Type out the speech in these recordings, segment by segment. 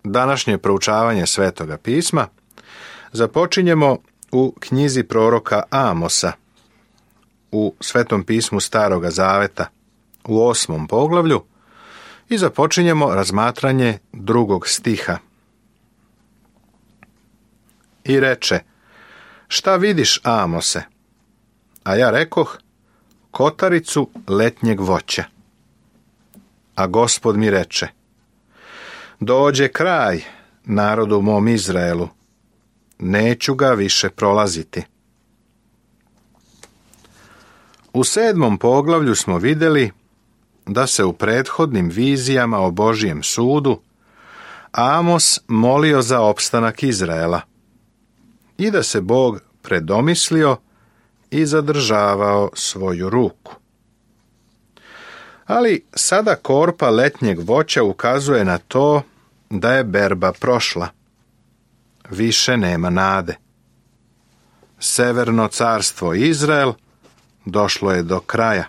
današnje proučavanje Svetoga pisma započinjemo u knjizi proroka Amosa, u Svetom pismu Staroga Zaveta, u 8. poglavlju, i započinjemo razmatranje 2. stiha. I reče: šta vidiš, Amose? A ja rekoh: kotaricu letnjeg voća. A Gospod mi reče: dođe kraj narodu mom Izraelu, neću ga više prolaziti. U 7. poglavlju smo vidjeli da se u prethodnim vizijama o Božijem sudu Amos molio za opstanak Izraela i da se Bog predomislio i zadržavao svoju ruku. Ali sada korpa letnjeg voća ukazuje na to da je berba prošla. Više nema nade. Severno carstvo Izrael došlo je do kraja.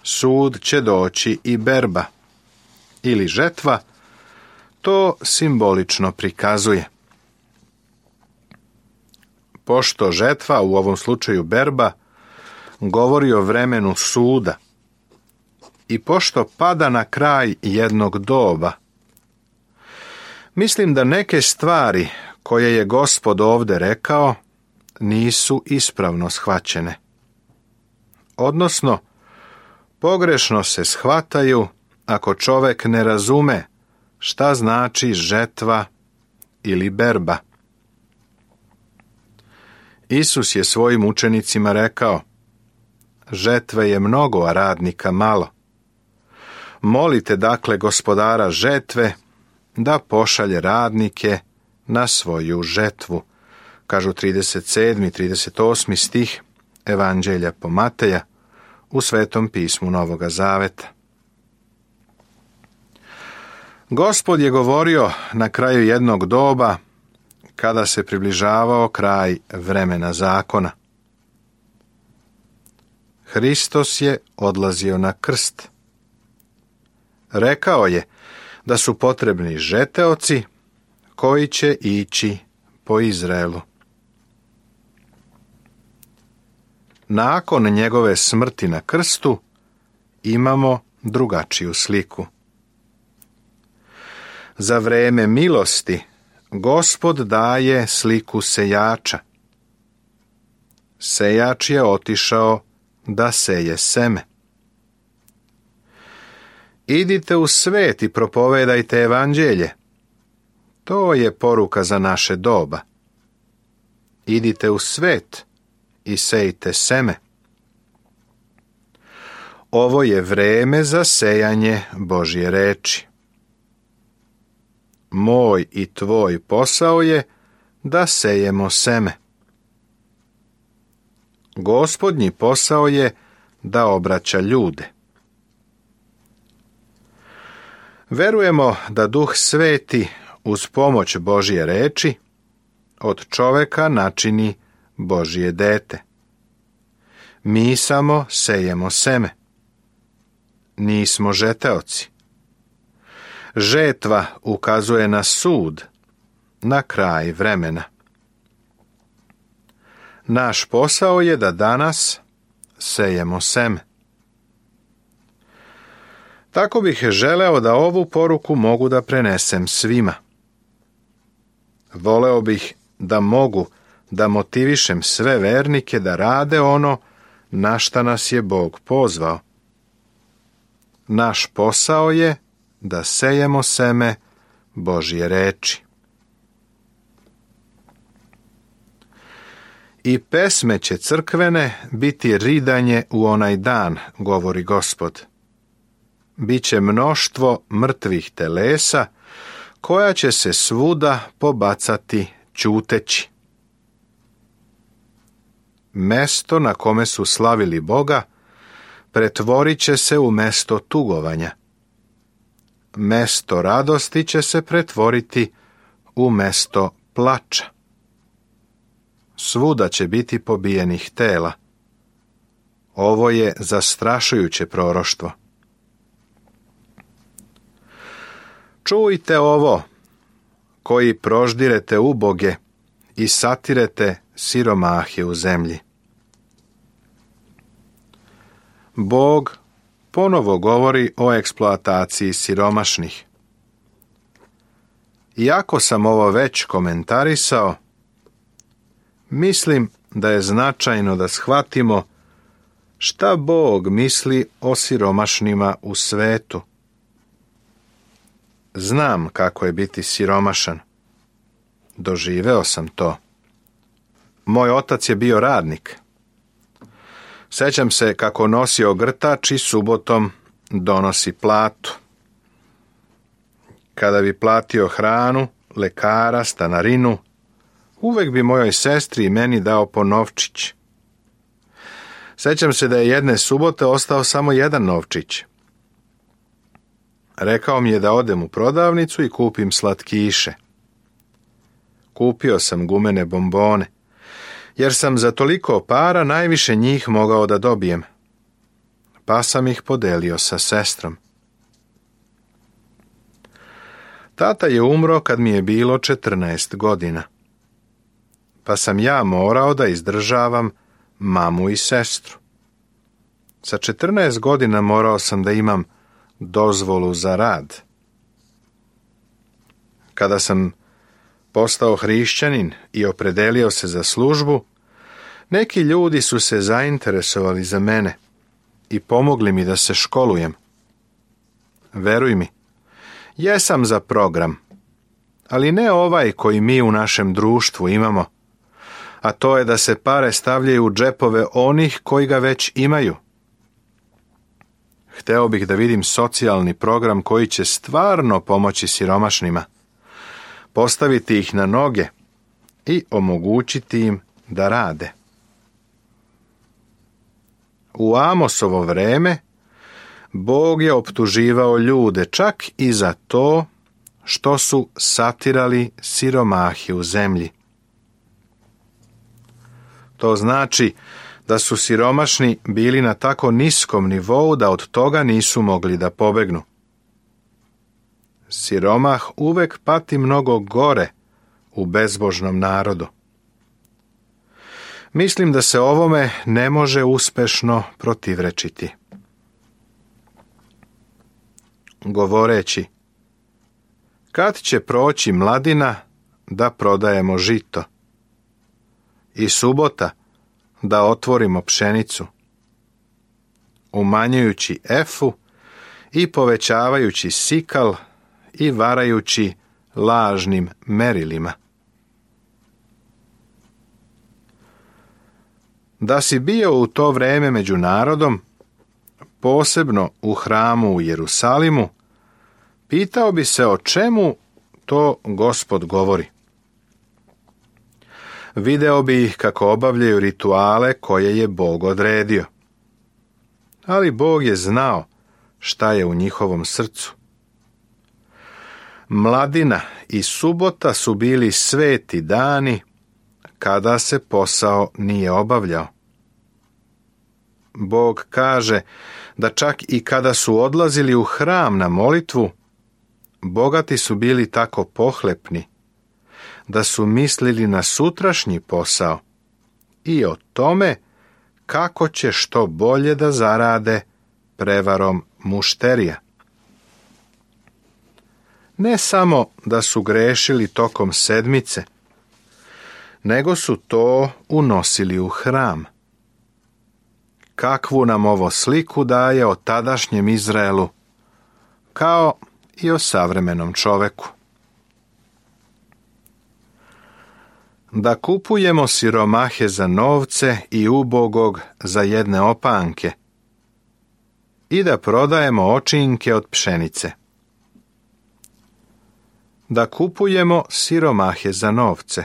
Sud će doći i berba, ili žetva, to simbolično prikazuje. Pošto žetva, u ovom slučaju berba, govori o vremenu suda, i pošto pada na kraj jednog doba, mislim da neke stvari koje je Gospod ovdje rekao nisu ispravno shvaćene. Odnosno, pogrešno se shvataju ako čovjek ne razume šta znači žetva ili berba. Isus je svojim učenicima rekao: žetve je mnogo, a radnika malo. Molite dakle Gospodara žetve da pošalje radnike na svoju žetvu, kažu 37. i 38. stih Evanđelja po Mateja u Svetom pismu Novoga Zaveta. Gospod je govorio na kraju jednog doba, kada se približavao kraj vremena zakona. Hristos je odlazio na krst. Rekao je da su potrebni žeteoci koji će ići po Izraelu. Nakon njegove smrti na krstu imamo drugačiju sliku. Za vreme milosti Gospod daje sliku sejača. Sejač je otišao da seje seme. Idite u svet i propovedajte evanđelje. To je poruka za naše doba. Idite u svet i sejte seme. Ovo je vreme za sejanje Božje reči. Moj i tvoj posao je da sejemo seme. Gospodnji posao je da obraća ljude. Verujemo da Duh Sveti uz pomoć Božje reči od čoveka načini Božje dete. Mi samo sejemo seme. Nismo žeteoci. Žetva ukazuje na sud, na kraj vremena. Naš posao je da danas sejemo seme. Tako bih želeo da ovu poruku mogu da prenesem svima. Voleo bih da mogu da motivišem sve vernike da rade ono na šta nas je Bog pozvao. Naš posao je da sejemo seme Božje reči. I pesme će crkvene biti ridanje u onaj dan, govori Gospod. Biće mnoštvo mrtvih telesa, koja će se svuda pobacati ćuteći. Mesto na kome su slavili Boga pretvorit će se u mesto tugovanja. Mesto radosti će se pretvoriti u mesto plača. Svuda će biti pobijenih tela. Ovo je zastrašujuće proroštvo. Čujte ovo, koji proždirete uboge i satirete siromahe u zemlji. Bog ponovo govori o eksploataciji siromašnih. Iako sam ovo već komentarisao, mislim da je značajno da shvatimo šta Bog misli o siromašnima u svetu. Znam kako je biti siromašan. Doživeo sam to. Moj otac je bio radnik. Sećam se kako nosio grtač i subotom donosi platu. Kada bi platio hranu, lekara, stanarinu, uvek bi mojoj sestri i meni dao po novčić. Sećam se da je jedne subote ostao samo jedan novčić. Rekao mi je da odem u prodavnicu i kupim slatkiše. Kupio sam gumene bombone, jer sam za toliko para najviše njih mogao da dobijem, pa sam ih podelio sa sestrom. Tata je umro kad mi je bilo 14 godina, pa sam ja morao da izdržavam mamu i sestru. Sa 14 godina morao sam da imam dozvolu za rad. Kada sam postao hrišćanin i opredelio se za službu, neki ljudi su se zainteresovali za mene i pomogli mi da se školujem. Veruj mi, jesam za program, ali ne ovaj koji mi u našem društvu imamo, a to je da se pare stavljaju u džepove onih koji ga već imaju. Hteo bih da vidim socijalni program koji će stvarno pomoći siromašnima, postaviti ih na noge i omogućiti im da rade. U Amosovo vreme Bog je optuživao ljude čak i za to što su satirali siromahe u zemlji. To znači da su siromašni bili na tako niskom nivou da od toga nisu mogli da pobegnu. Siromah uvek pati mnogo gore u bezbožnom narodu. Mislim da se ovome ne može uspešno protivrečiti. Govoreći, kad će proći mladina da prodajemo žito i subota da otvorimo pšenicu, umanjujući efu i povećavajući sikal i varajući lažnim merilima. Da si bio u to vreme među narodom, posebno u hramu u Jerusalimu, pitao bi se o čemu to Gospod govori. Video bi ih kako obavljaju rituale koje je Bog odredio. Ali Bog je znao šta je u njihovom srcu. Mladina i subota su bili sveti dani kada se posao nije obavljao. Bog kaže da čak i kada su odlazili u hram na molitvu, bogati su bili tako pohlepni da su mislili na sutrašnji posao i o tome kako će što bolje da zarade prevarom mušterija. Ne samo da su grešili tokom sedmice, nego su to unosili u hram. Kakvu nam ovo sliku daje o tadašnjem Izraelu, kao i o savremenom čoveku. Da kupujemo siromahe za novce i ubogog za jedne opanke i da prodajemo očinke od pšenice. Da kupujemo siromahe za novce.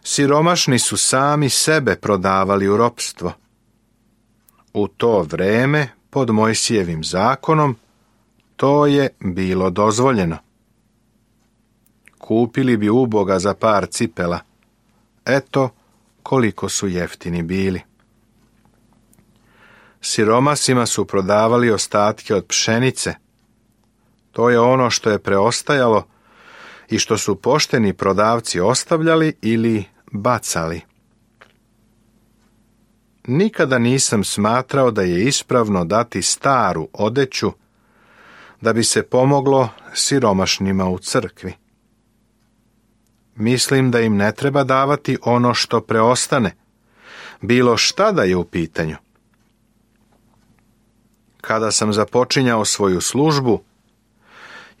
Siromašni su sami sebe prodavali u ropstvo. U to vreme, pod Mojsijevim zakonom, to je bilo dozvoljeno. Kupili bi uboga za par cipela. Eto koliko su jeftini bili. Siromasima su prodavali ostatke od pšenice. To je ono što je preostajalo i što su pošteni prodavci ostavljali ili bacali. Nikada nisam smatrao da je ispravno dati staru odeću da bi se pomoglo siromašnima u crkvi. Mislim da im ne treba davati ono što preostane, bilo šta da je u pitanju. Kada sam započinjao svoju službu,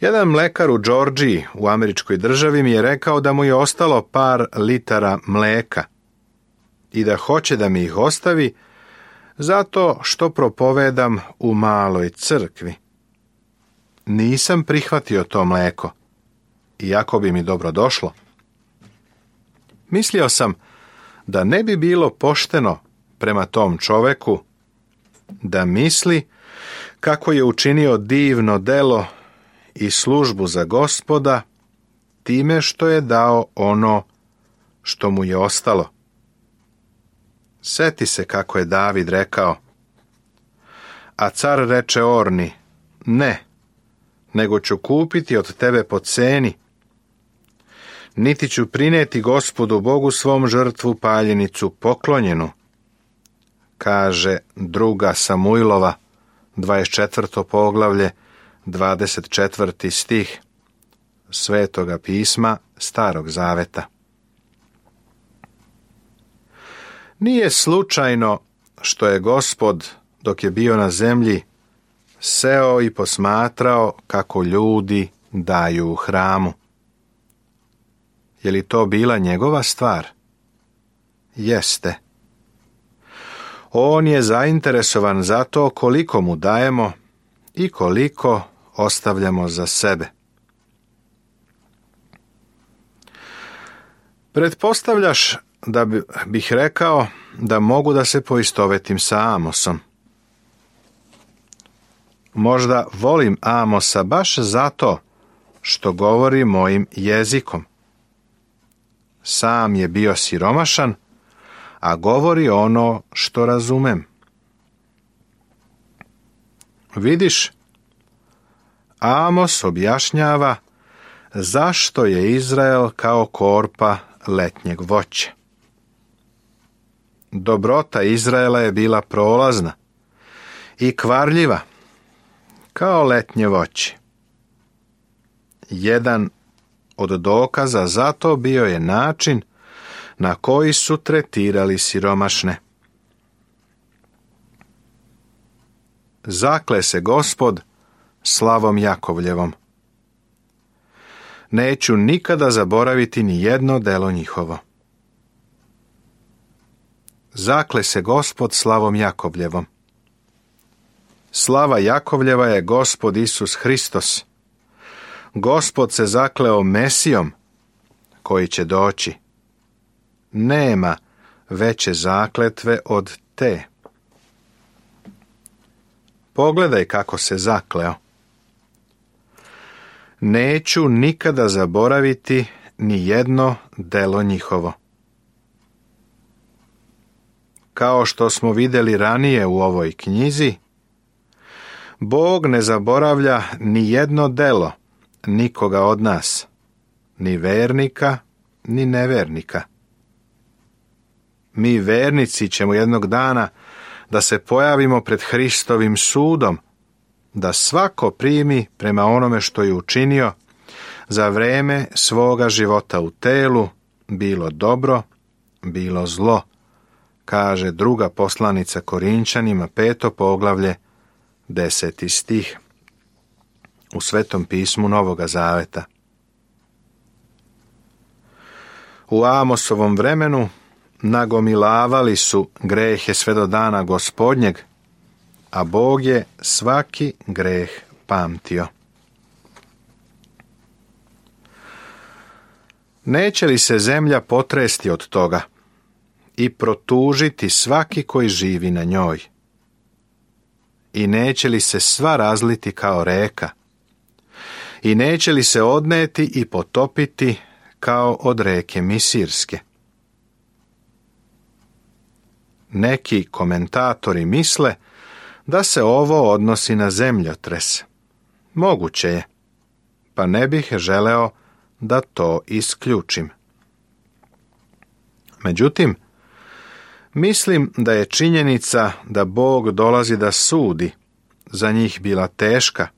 jedan mlekar u Džordžiji u američkoj državi mi je rekao da mu je ostalo par litara mleka i da hoće da mi ih ostavi zato što propovedam u maloj crkvi. Nisam prihvatio to mleko, iako bi mi dobro došlo. Mislio sam da ne bi bilo pošteno prema tom čoveku da misli kako je učinio divno delo i službu za Gospoda time što je dao ono što mu je ostalo. Seti se kako je David rekao, a car reče Orni, ne, nego ću kupiti od tebe po ceni, niti ću prineti Gospodu Bogu svom žrtvu paljenicu poklonjenu, kaže 2. Samuilova, 24. poglavlje, 24. stih Svetoga pisma Starog Zaveta. Nije slučajno što je Gospod, dok je bio na zemlji, seo i posmatrao kako ljudi daju u hramu. Je li to bila njegova stvar? Jeste. On je zainteresovan za to koliko mu dajemo i koliko ostavljamo za sebe. Pretpostavljaš da bih rekao da mogu da se poistovetim sa Amosom. Možda volim Amosa baš zato što govori mojim jezikom. Sam je bio siromašan, a govori ono što razumem. Vidiš, Amos objašnjava zašto je Izrael kao korpa letnjeg voća. Dobrota Izraela je bila prolazna i kvarljiva, kao letnje voće. Jedan od dokaza za to bio je način na koji su tretirali siromašne. Zakle se Gospod slavom Jakovljevom. Neću nikada zaboraviti ni jedno delo njihovo. Zakle se Gospod slavom Jakovljevom. Slava Jakovljeva je Gospod Isus Hristos. Gospod se zakleo Mesijom koji će doći. Nema veće zakletve od te. Pogledaj kako se zakleo. Neću nikada zaboraviti ni jedno delo njihovo. Kao što smo vidjeli ranije u ovoj knjizi, Bog ne zaboravlja ni jedno delo nikoga od nas, ni vernika, ni nevernika. Mi vernici ćemo jednog dana da se pojavimo pred Hristovim sudom, da svako primi prema onome što je učinio za vreme svoga života u telu, bilo dobro, bilo zlo, kaže 2. poslanica Korinčanima, 5. poglavlje, 10. stih u Svetom pismu Novoga Zaveta. U Amosovom vremenu nagomilavali su grehe sve do dana Gospodnjeg, a Bog je svaki greh pamtio. Neće li se zemlja potresti od toga i protužiti svaki koji živi na njoj? I neće li se sva razliti kao reka? I neće li se odneti i potopiti kao od reke Misirske? Neki komentatori misle da se ovo odnosi na zemljotres. Moguće je, pa ne bih želeo da to isključim. Međutim, mislim da je činjenica da Bog dolazi da sudi za njih bila teška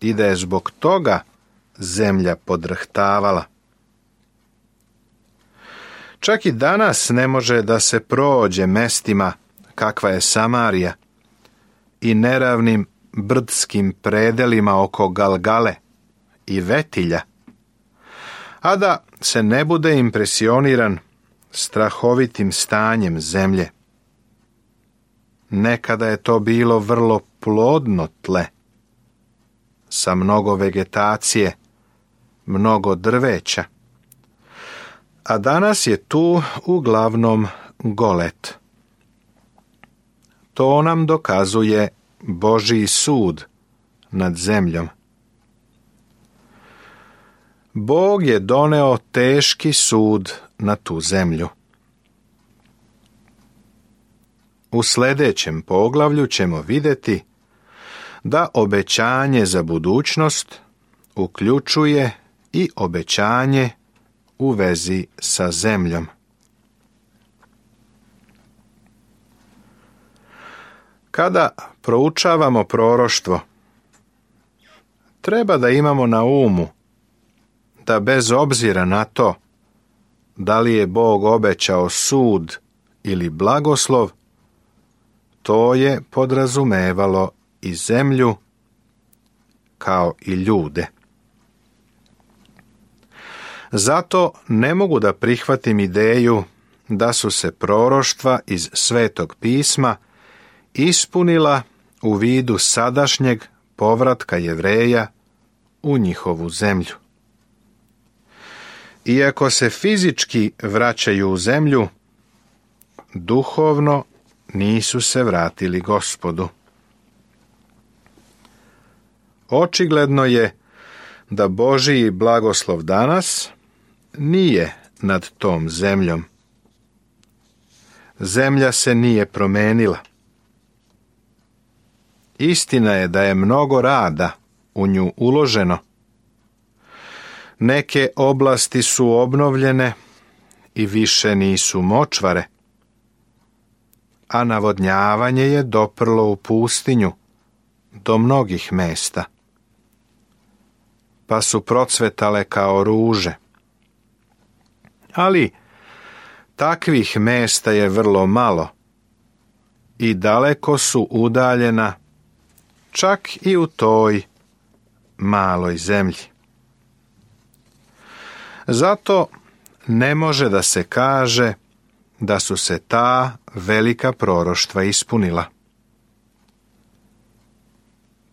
i da je zbog toga zemlja podrhtavala. Čak i danas ne može da se prođe mestima kakva je Samarija i neravnim brdskim predelima oko Galgale i Vetilja, a da se ne bude impresioniran strahovitim stanjem zemlje. Nekada je to bilo vrlo plodno tle, sa mnogo vegetacije, mnogo drveća, a danas je tu uglavnom golet. To nam dokazuje Božji sud nad zemljom. Bog je doneo teški sud na tu zemlju. U sljedećem poglavlju ćemo vidjeti da obećanje za budućnost uključuje i obećanje u vezi sa zemljom. Kada proučavamo proroštvo, treba da imamo na umu da bez obzira na to da li je Bog obećao sud ili blagoslov, to je podrazumevalo i zemlju kao i ljude. Zato ne mogu da prihvatim ideju da su se proroštva iz Svetog pisma ispunila u vidu sadašnjeg povratka Jevreja u njihovu zemlju. Iako se fizički vraćaju u zemlju, duhovno nisu se vratili Gospodu. Očigledno je da Božji blagoslov danas nije nad tom zemljom. Zemlja se nije promenila. Istina je da je mnogo rada u nju uloženo. Neke oblasti su obnovljene i više nisu močvare, a navodnjavanje je doprlo u pustinju do mnogih mesta, pa su procvetale kao ruže. Ali takvih mesta je vrlo malo i daleko su udaljena čak i u toj maloj zemlji. Zato ne može da se kaže da su se ta velika proroštva ispunila.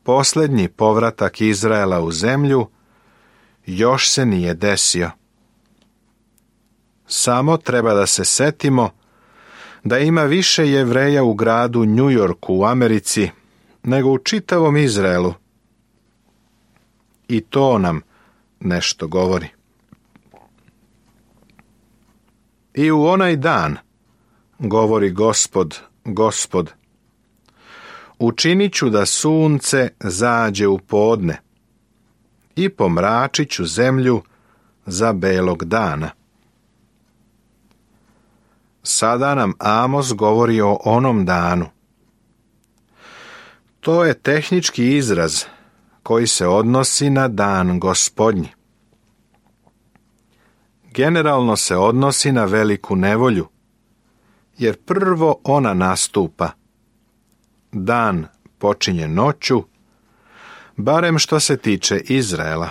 Posljednji povratak Izraela u zemlju još se nije desio. Samo treba da se setimo da ima više Jevreja u gradu New Yorku u Americi nego u čitavom Izraelu. I to nam nešto govori. I u onaj dan, govori Gospod, Gospod, učinit ću da sunce zađe u podne i pomračit ću zemlju za belog dana. Sada nam Amos govori o onom danu. To je tehnički izraz koji se odnosi na dan Gospodnji. Generalno se odnosi na veliku nevolju, jer prvo ona nastupa. Dan počinje noću, barem što se tiče Izraela.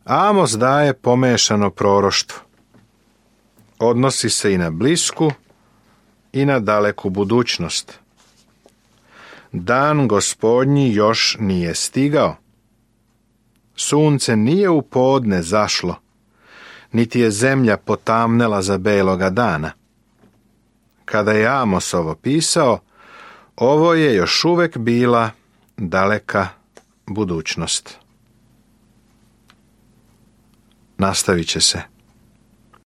Amos daje pomešano proroštvo. Odnosi se i na blisku i na daleku budućnost. Dan Gospodnji još nije stigao. Sunce nije u podne zašlo, niti je zemlja potamnela za beloga dana. Kada je Amos ovo pisao, ovo je još uvek bila daleka budućnost. Nastavit će se.